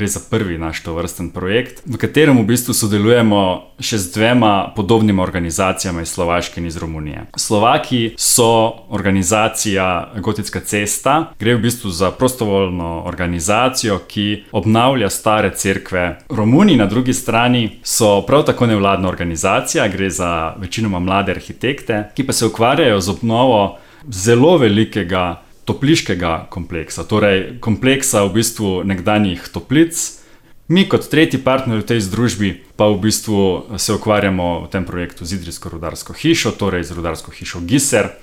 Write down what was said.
gre za prvi naš tovrsten projekt, v katerem v bistvu sodelujemo še z dvema podobnima organizacijama iz Slovaške in iz Romunije. Slovaki so organizacija Gotitska cesta, gre v bistvu za prostovoljno organizacijo, ki obnavlja stare cerkve. Romuni na drugi strani so prav tako nevladna organizacija, gre za večinoma mlade arhitekte, ki pa se ukvarjajo z obnovo zelo velikega topliškega kompleksa, torej kompleksa v bistvu nekdanjih toplic. Mi kot tretji partner v tej združbi pa v bistvu se ukvarjamo v tem projektu z Idrijsko rudarsko hišo, torej z rudarsko hišo Giser.